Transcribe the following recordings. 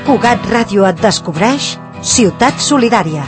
Cugat Ràdio et descobreix Ciutat Solidària.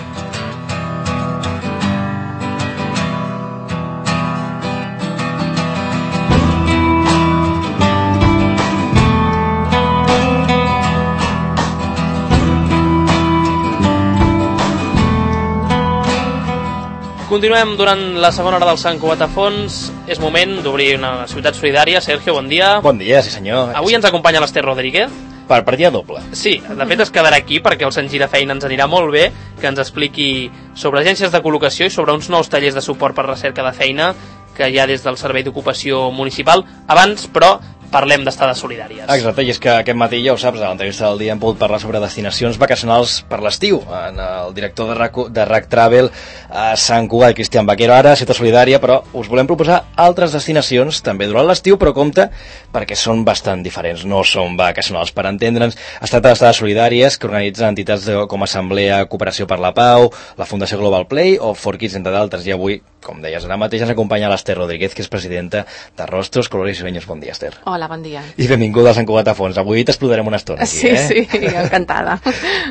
Continuem durant la segona hora del Sant Cugat a Fons. És moment d'obrir una ciutat solidària. Sergio, bon dia. Bon dia, sí senyor. Avui ens acompanya l'Ester Rodríguez. Per partida doble. Sí, de fet es quedarà aquí perquè el Sant Girafeina ens anirà molt bé que ens expliqui sobre agències de col·locació i sobre uns nous tallers de suport per recerca de feina que hi ha des del Servei d'Ocupació Municipal. Abans, però, parlem d'estades solidàries. Exacte, i és que aquest matí, ja ho saps, a l'entrevista del dia hem pogut parlar sobre destinacions vacacionals per l'estiu. El director de RAC Travel a Sant Cugat, Cristian Vaquero, ara a Ciutat Solidària, però us volem proposar altres destinacions també durant l'estiu, però compte, perquè són bastant diferents, no són vacacionals. Per entendre'ns, es tracta d'estades solidàries que organitzen entitats com Assemblea Cooperació per la Pau, la Fundació Global Play o For Kids, entre d'altres. I avui, com deies, ara mateix ens acompanya l'Ester Rodríguez, que és presidenta de Rostros, Colores i Sueños. Bon dia, Ester. Hola, bon dia. I benvinguda a Sant Cugat a Fons. Avui t'explotarem una estona aquí, Sí, encantada.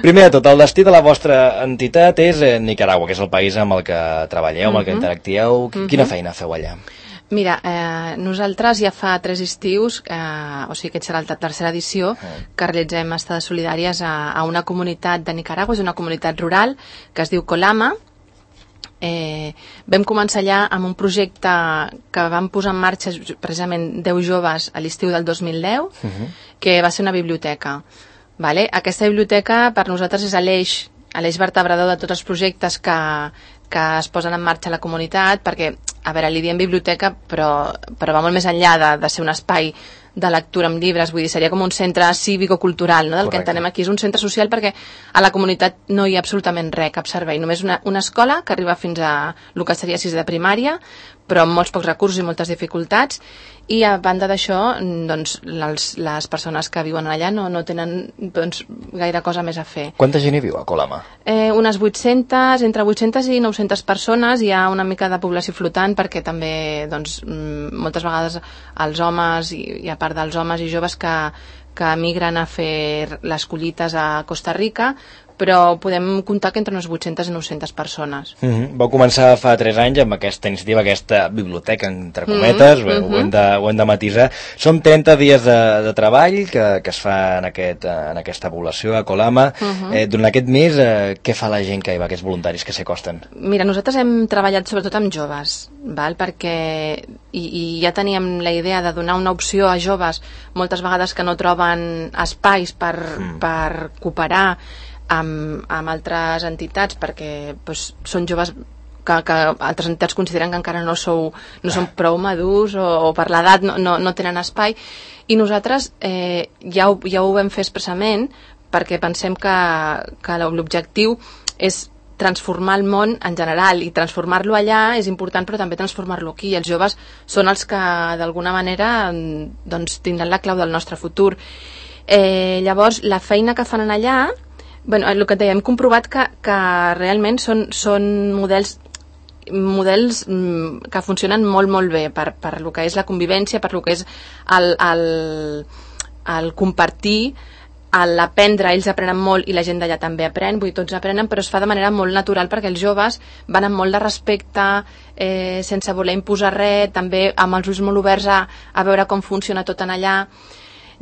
Primer de tot, el destí de la vostra entitat és Nicaragua, que és el país amb el que treballeu, amb el que interactieu. Quina feina feu allà? Mira, nosaltres ja fa 3 estius, o sigui que serà la tercera edició, que realitzem estades solidàries a una comunitat de Nicaragua, és una comunitat rural que es diu Colama. Vam començar allà amb un projecte que vam posar en marxa precisament 10 joves a l'estiu del 2010, que va ser una biblioteca. Vale? Aquesta biblioteca per nosaltres és l'eix vertebrador de tots els projectes que es posen en marxa a la comunitat, perquè, a veure, li diem biblioteca, però va molt més enllà de ser un espai de lectura amb llibres, vull dir, seria com un centre cívico-cultural, no? Del que entenem aquí és un centre social, perquè a la comunitat no hi ha absolutament res, cap servei, només una escola que arriba fins a el que seria 6 de primària, però amb molts pocs recursos i moltes dificultats, i a banda d'això, doncs, les persones que viuen allà no tenen doncs, gaire cosa més a fer. Quanta gent hi viu a Colama? Unes 800, entre 800 i 900 persones, hi ha una mica de població flotant perquè també, doncs, moltes vegades els homes, i a part dels homes i joves que migren a fer les collites a Costa Rica, però podem comptar que entre unes 800 i 900 persones. Vau començar fa 3 anys amb aquesta iniciativa, aquesta biblioteca, entre cometes, ho hem de matisar. Són 30 dies de treball que es fa en aquesta població, a Colama. Durant aquest mes, què fa la gent que hi va, aquests voluntaris que s'hi acosten? Mira, nosaltres hem treballat sobretot amb joves, perquè ja teníem la idea de donar una opció a joves, moltes vegades que no troben espais per cooperar amb altres entitats, perquè són joves que altres entitats consideren que encara no són prou madurs o per l'edat no tenen espai, i nosaltres ja ho vam fer expressament perquè pensem que l'objectiu és transformar el món en general, i transformar-lo allà és important, però també transformar-lo aquí. Els joves són els que d'alguna manera doncs, tindran la clau del nostre futur. Llavors, la feina que fan allà, el que dèiem, hem comprovat que realment són models que funcionen molt, molt bé per el que és la convivència, per el que és el compartir, l'aprendre. Ells aprenen molt i la gent d'allà també aprèn, vull dir, tots aprenen, però es fa de manera molt natural perquè els joves van amb molt de respecte, sense voler imposar res, també amb els ulls molt oberts a veure com funciona tot en allà.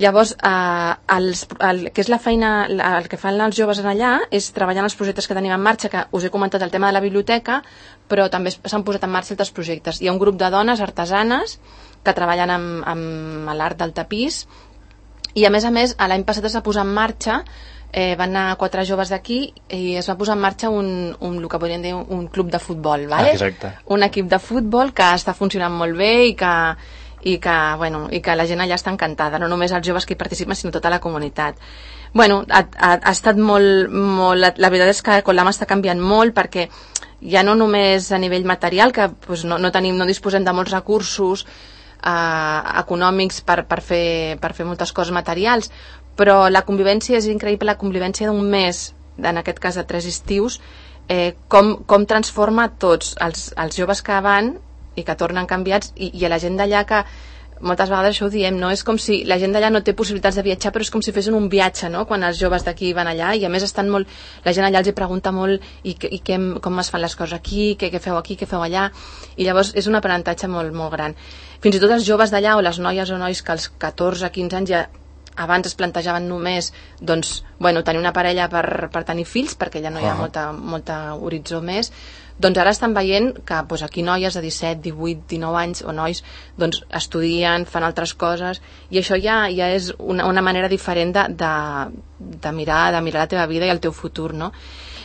Llavors, el que és la feina, el que fan els joves allà és treballar en els projectes que tenim en marxa, que us he comentat el tema de la biblioteca, però també s'han posat en marxa altres projectes. Hi ha un grup de dones artesanes que treballen amb l'art del tapís, i a més, l'any passat es va posar en marxa, van anar 4 joves d'aquí i es va posar en marxa el que podríem dir un club de futbol, vale? Un equip de futbol que està funcionant molt bé i que la gent allà està encantada, no només els joves que hi participen, sinó tota la comunitat. Ha estat molt, la veritat és que Colama està canviant molt, perquè ja no només a nivell material, que no disposem de molts recursos econòmics per fer moltes coses materials, però la convivència és increïble, la convivència d'un mes, en aquest cas de 3 estius, com transforma tots els joves que van i que tornen canviats, i a la gent d'allà que moltes vegades això ho diem, no? És com si la gent d'allà no té possibilitats de viatjar, però és com si fessin un viatge, no? Quan els joves d'aquí van allà, i a més estan molt, la gent allà els hi pregunta molt com es fan les coses aquí, què feu aquí, què feu allà, i llavors és un aprenentatge molt, molt gran. Fins i tot els joves d'allà, o les noies o nois que als 14-15 anys ja abans es plantejaven només doncs, tenir una parella per tenir fills, perquè ja no hi ha molta horitzó més, doncs ara estan veient que aquí noies de 17, 18, 19 anys o nois doncs, estudien, fan altres coses, i això ja és una manera diferent de mirar la teva vida i el teu futur, no?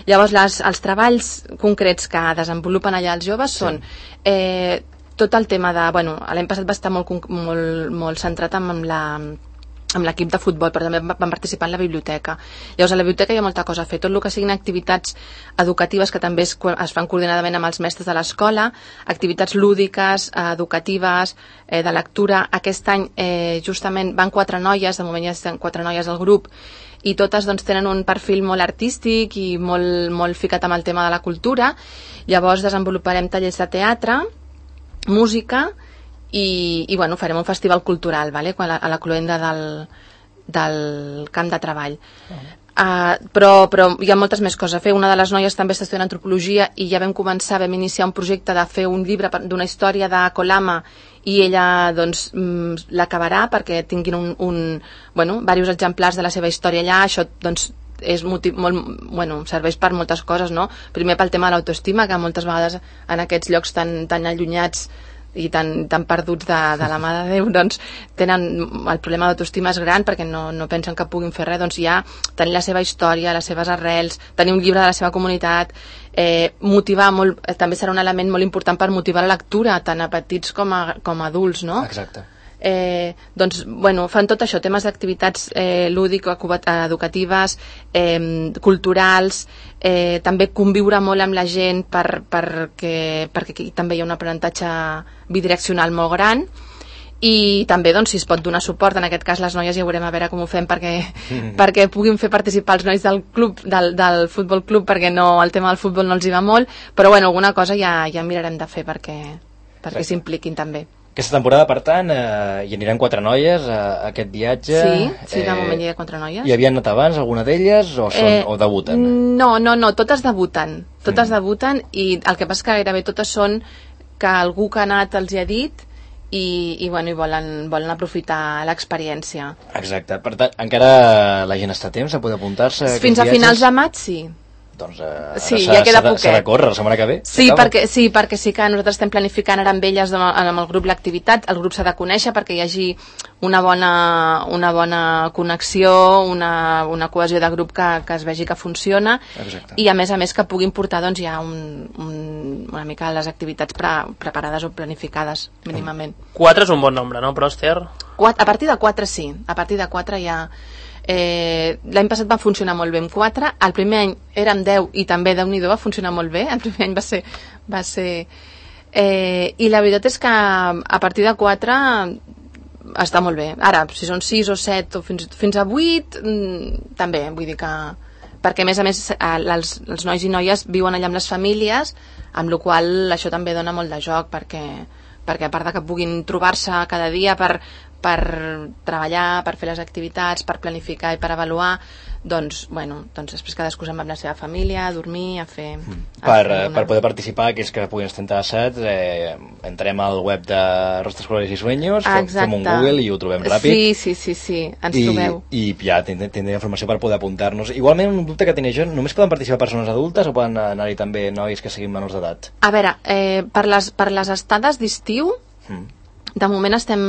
Llavors els treballs concrets que desenvolupen allà els joves són tot el tema de... l'any passat va estar molt centrat amb l'equip de futbol, però també van participar en la biblioteca. Llavors, a la biblioteca hi ha molta cosa a fer. Tot el que siguin activitats educatives que també es fan coordinadament amb els mestres de l'escola, activitats lúdiques, educatives, de lectura. Aquest any, justament, van 4 noies, de moment ja estan 4 noies al grup, i totes doncs, tenen un perfil molt artístic i molt ficat amb el tema de la cultura. Llavors, desenvoluparem tallers de teatre, música, i farem un festival cultural, vale? A la cloenda del camp de treball. Però hi ha moltes més coses a fer. Una de les noies també està estudiant antropologia i ja vam iniciar un projecte de fer un llibre d'una història de Colama, i ella doncs l'acabarà perquè tinguin diversos exemplars de la seva història allà. Això doncs serveix per moltes coses, no? Primer pel tema de l'autoestima, que moltes vegades en aquests llocs tan allunyats i tan perduts de la mà de Déu, doncs tenen el problema d'autoestima és gran perquè no pensen que puguin fer res. Doncs ja tenir la seva història, les seves arrels, tenir un llibre de la seva comunitat, motivar molt, també serà un element molt important per motivar la lectura tant a petits com a adults, no? Exacte. Fan tot això, temes d'activitats lúdico-educatives, culturals, també conviure molt amb la gent perquè aquí també hi ha un aprenentatge bidireccional molt gran, i també si es pot donar suport, en aquest cas les noies ja veurem a veure com ho fem perquè puguin fer participar els nois del club, del futbol club, perquè el tema del futbol no els hi va molt, però alguna cosa ja mirarem de fer perquè s'impliquin també. Aquesta temporada, per tant, hi aniran 4 noies a aquest viatge. Sí, de moment hi ha 4 noies. Hi havien anat abans alguna d'elles o debuten? No, totes debuten. Totes debuten, i el que passa que gairebé totes són que algú que ha anat els hi ha dit i volen aprofitar l'experiència. Exacte. Per tant, encara la gent està a temps a poder apuntar-se? Fins a finals de maig, sí. Doncs ja queda poquet. S'ha de córrer la setmana que ve? Sí, perquè sí que nosaltres estem planificant ara amb elles, amb el grup, l'activitat. El grup s'ha de conèixer perquè hi hagi una bona connexió, una cohesió de grup que es vegi que funciona. Exacte. I a més que puguin portar ja una mica les activitats preparades o planificades mínimament. 4 és un bon nombre, no, Pròster? A partir de 4 sí, a partir de 4 ja... l'any passat va funcionar molt bé amb 4, el primer any érem 10 i també Déu-n'hi-do va funcionar molt bé, el primer any va ser i la veritat és que a partir de 4 està molt bé. Ara, si són 6 o 7 o fins a 8 també, vull dir que perquè a més els nois i noies viuen allà amb les famílies, amb la qual cosa això també dona molt de joc perquè a part de que puguin trobar-se cada dia per treballar, per fer les activitats, per planificar i per avaluar, doncs després cadascú se'n va amb la seva família a dormir, a fer... Per poder participar, aquells que puguin estar interessats, entrem al web de Rostros, Colores y Sueños, fem un Google i ho trobem ràpid. Sí, ens trobeu. I ja tindrem informació per poder apuntar-nos. Igualment, un dubte que tenia jo, només poden participar persones adultes o poden anar-hi també nois que siguin menors d'edat? A veure, per les estades d'estiu, de moment estem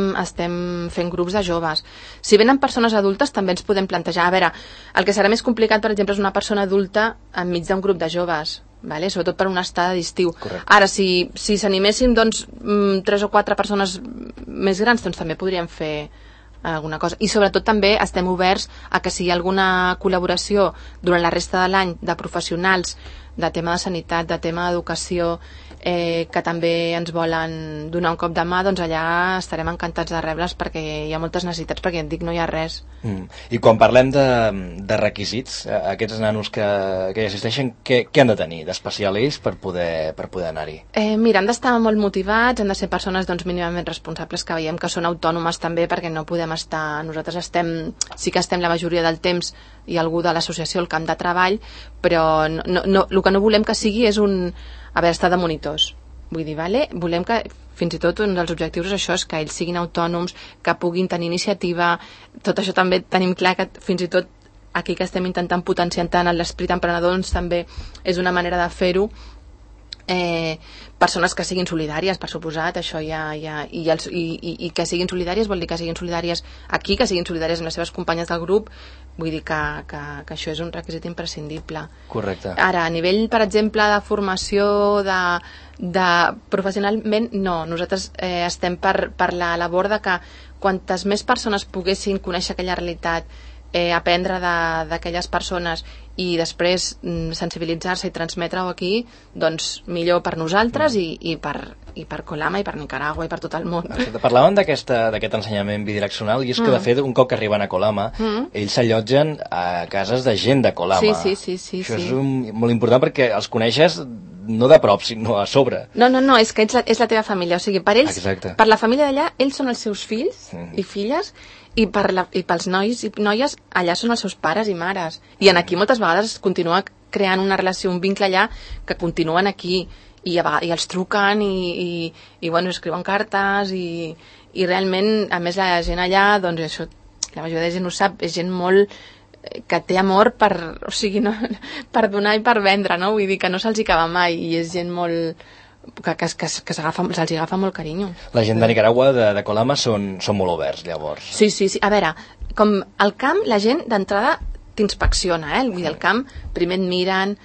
fent grups de joves. Si venen persones adultes també ens podem plantejar. A veure, el que serà més complicat, per exemple, és una persona adulta enmig d'un grup de joves, vale? Sobretot per una estada d'estiu. Correcte. Ara, si s'animessin 3 o 4 persones més grans, doncs també podríem fer alguna cosa. I sobretot també estem oberts a que si hi ha alguna col·laboració durant la resta de l'any de professionals de tema de sanitat, de tema d'educació, que també ens volen donar un cop de mà, doncs allà estarem encantats de rebre'ls perquè hi ha moltes necessitats, perquè et dic, no hi ha res. I quan parlem de requisits, aquests nanos que hi assisteixen, què han de tenir d'especial ells per poder anar-hi? Mira, han d'estar molt motivats, han de ser persones doncs, mínimament responsables, que veiem que són autònomes també, perquè no podem estar... Nosaltres sí que estem la majoria del temps, i algú de l'associació al camp de treball, però el que no volem que sigui és estar de monitors. Vull dir, volem que fins i tot un dels objectius és això, és que ells siguin autònoms, que puguin tenir iniciativa. Tot això també tenim clar que fins i tot aquí que estem intentant potenciar tant l'esprit emprenedor, doncs també és una manera de fer-ho. Persones que siguin solidàries, per suposat, això i que siguin solidàries vol dir que siguin solidàries aquí, que siguin solidàries amb les seves companyes del grup. Vull dir que això és un requisit imprescindible. Correcte. Ara, a nivell, per exemple, de formació, de professionalment, no. Nosaltres estem per la labor de que quantes més persones poguessin conèixer aquella realitat, aprendre d'aquelles persones i després sensibilitzar-se i transmetre-ho aquí, doncs millor per nosaltres i per Colama i per Nicaragua i per tot el món. Parlàvem d'aquest ensenyament bidireccional i és que de fet un cop que arriben a Colama ells s'allotgen a cases de gent de Colama. Sí. Això és molt important perquè els coneixes no de prop, sinó a sobre. No, és que és la teva família, o sigui, per ells, per la família d'allà, ells són els seus fills i filles, i pels nois i noies allà són els seus pares i mares, i en aquí moltes vegades es continua creant una relació, un vincle allà que continuen aquí i els truquen i bueno, escriuen cartes i realment, a més la gent allà, doncs això, la majoria de gent ho sap, és gent molt que té amor per donar i per vendre, no? Vull dir que no se'ls acaba mai i és gent molt que se'ls agafa molt carinyo. La gent de Nicaragua, de Colama, són molt oberts, llavors. Sí. A veure, com al camp, la gent d'entrada t'inspecciona, Vull dir, al camp primer et miren,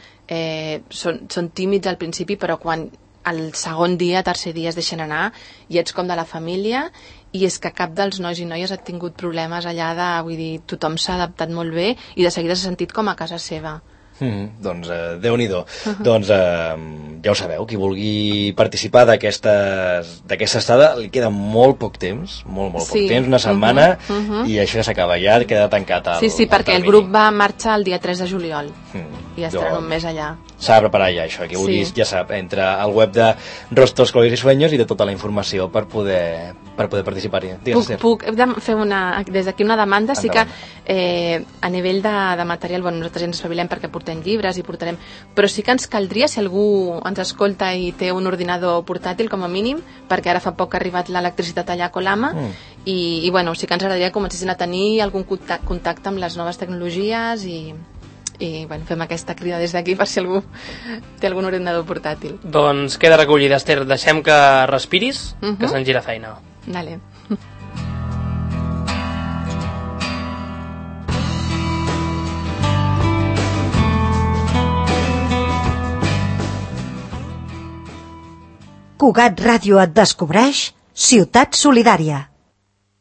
són tímids al principi, però quan el segon dia, tercer dia es deixen anar i ets com de la família, i és que cap dels nois i noies ha tingut problemes allà vull dir, tothom s'ha adaptat molt bé i de seguida s'ha sentit com a casa seva. Doncs Déu-n'hi-do. Doncs ja ho sabeu, qui vulgui participar d'aquesta estada, li queda molt poc temps, molt poc temps, una setmana, i això ja s'acaba, ja queda tancat el Sí, perquè el grup va marxar el dia 3 de juliol i estaran un mes allà. S'ha de preparar ja això, qui vulgui ja sap, entra al web de Rostros, Colors i Sueños i té tota la informació per poder participar-hi. Puc fer des d'aquí una demanda? Sí que a nivell de material, nosaltres ens espavilem perquè portem llibres i portarem, però sí que ens caldria, si algú ens escolta i té un ordinador portàtil com a mínim, perquè ara fa poc que ha arribat l'electricitat allà a Colama, i bueno, sí que ens agradaria que comencessin a tenir algun contacte amb les noves tecnologies i bueno, fem aquesta crida des d'aquí per si algú té algun ordinador portàtil. Doncs queda recollida, Esther, deixem que respiris, que se'n gira feina. Vale. Cugat Ràdio et descobreix Ciutat Solidària.